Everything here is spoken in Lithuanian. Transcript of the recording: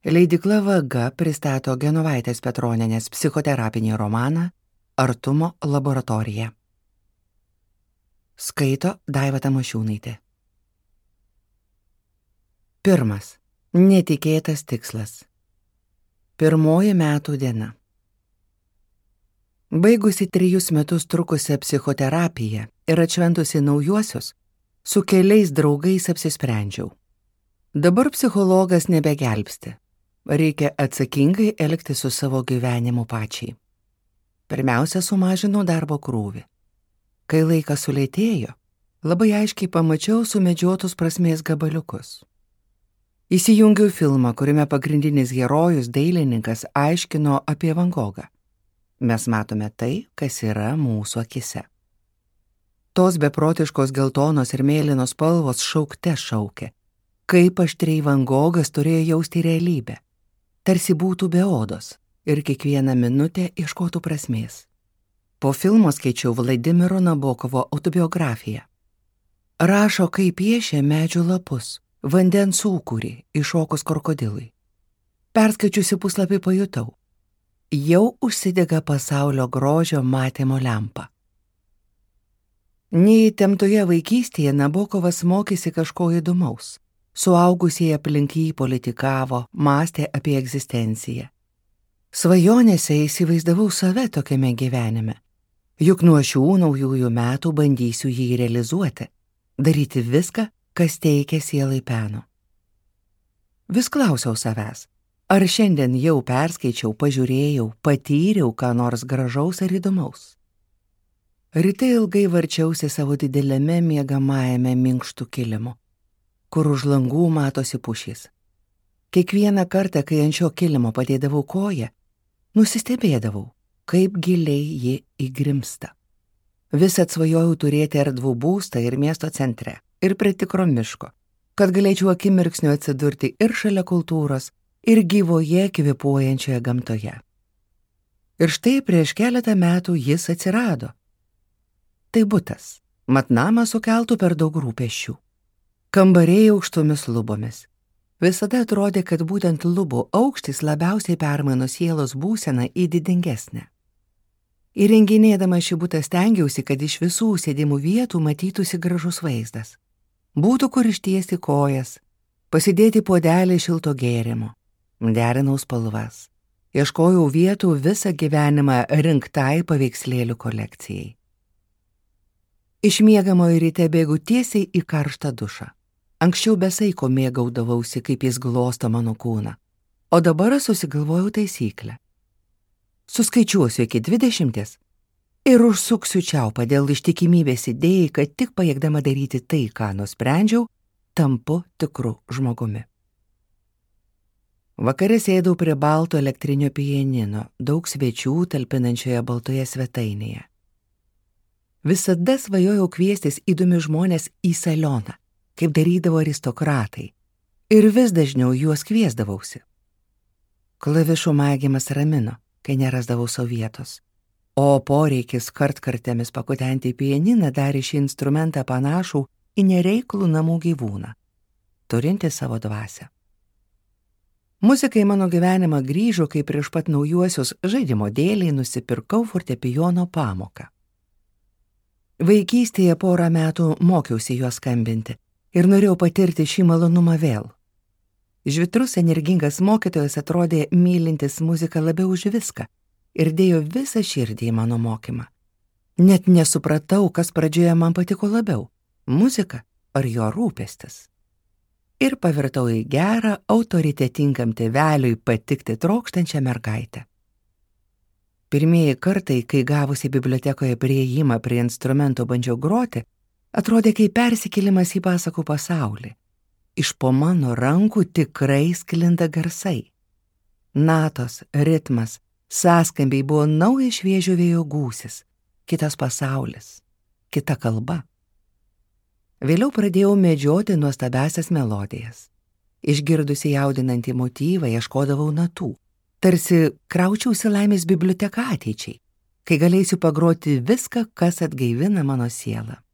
Leidykla Vaga pristato Genovaitės Petronienės psichoterapinį romaną Artumo laboratorija. Skaito Daiva Tamošiūnaitė. 1. Netikėtas tikslas. 1 metų diena. Baigusi 3 metus trukusią psichoterapiją ir atšventusi naujuosius, su keliais draugais apsisprendžiau. Dabar psichologas nebegelbsti. Reikia atsakingai elgtis su savo gyvenimu pačiai. Pirmiausia, sumažinau darbo krūvį. Kai laikas sulėtėjo, labai aiškiai pamačiau sumedžiotus prasmės gabaliukus. Įsijungiau filmą, kuriame pagrindinis herojus dailininkas aiškino apie Van Gogą. Mes matome tai, kas yra mūsų akise. Tos beprotiškos geltonos ir mėlynos spalvos šaukte šaukė, kaip aštriai Van Gogas turėjo jausti realybę. Tarsi būtų be odos ir kiekvieną minutę ieškotų prasmės. Po filmo skaičiau Vladimiro Nabokovo autobiografiją. Rašo, kaip piešė medžių lapus, vandens sūkurį iššokus krokodilui. Perskaičiusi puslapį pajutau. Jau užsidega pasaulio grožio matymo lempa. Neįtemptoje vaikystėje Nabokovas mokėsi kažko įdomaus. Suaugusieji aplink jį politikavo, mąstė apie egzistenciją. Svajonėse įsivaizdavau save tokiame gyvenime. Juk nuo šių naujųjų metų bandysiu jį realizuoti, daryti viską, kas teikia sielai peno. Vis klausiau savęs, ar šiandien jau perskaičiau, pažiūrėjau, patyriau ką nors gražaus ar įdomaus. Ryte ilgai varčiausi savo dideliame miegamajame minkštų kilimu, kur už langų matosi pušys. Kiekvieną kartą, kai ant šio kilimo padėdavau koją, nusistebėdavau, kaip giliai ji įgrimsta. Vis atsvajojau turėti erdvų būstą ir miesto centre, ir prie tikro miško, kad galėčiau akimirksniu atsidurti ir šalia kultūros, ir gyvoje kvėpuojančioje gamtoje. Ir štai prieš keletą metų jis atsirado. Tai butas, mat namas sukeltų per daug rūpesčių. Kambariai aukštomis lubomis. Visada atrodė, kad būtent lubų aukštis labiausiai permaino sielos būseną į didingesnę. Įrenginėdama šį butą stengiausi, kad iš visų sėdimų vietų matytųsi gražus vaizdas. Būtų kur ištiesti kojas, pasidėti puodelį šilto gėrimo. Derinau spalvas. Ieškojau vietų visą gyvenimą rinktai paveikslėlių kolekcijai. Iš miegamojo ryte bėgu tiesiai į karštą dušą. Anksčiau be saiko mėgaudavausi, kaip jis glosto mano kūną, o dabar susigalvojau taisyklę. Suskaičiuosiu iki 20 ir užsuksiu čiaupą dėl ištikimybės idėjai, kad tik pajėgdama daryti tai, ką nusprendžiau, tampu tikru žmogumi. Vakare sėdau prie balto elektrinio pianino, daug svečių talpinančioje baltoje svetainėje. Visada svajojau kviestis įdomius žmonės į salioną, kaip darydavo aristokratai, ir vis dažniau juos kviesdavausi. Klavišų mėgimas ramino, kai nerasdavau savo vietos, o poreikis kartkartėmis pakutenti pianiną darė šį instrumentą panašų į nereiklų namų gyvūną, turinti savo dvasią. Muzikai mano gyvenimą grįžo, kai prieš pat naujuosius žaidimo dėliai nusipirkau fortepijono pamoką. Vaikystėje 1 metų mokiausi juos skambinti ir norėjau patirti šį malonumą vėl. Žvitrus energingas mokytojas atrodė mylintis muziką labiau už viską ir dėjo visą širdį į mano mokymą. Net nesupratau, kas pradžioje man patiko labiau – muzika ar jo rūpestis. Ir pavirtau į gerą, autoritetingam tėveliui patikti trokštančią mergaitę. Pirmieji kartai, kai gavusi bibliotekoje priėjimą prie instrumento bandžiau groti, atrodė kaip persikėlimas į pasakų pasaulį. Iš po mano rankų tikrai sklinda garsai. Natos, ritmas, sąskambiai buvo naujas šviežio vėjo gūsis, kitas pasaulis, kita kalba. Vėliau pradėjau medžioti nuostabiasias melodijas. Išgirdusi jaudinantį motyvą, ieškodavau natų. Tarsi kraučiausi laimės biblioteką ateičiai, kai galėsiu pagroti viską, kas atgaivina mano sielą.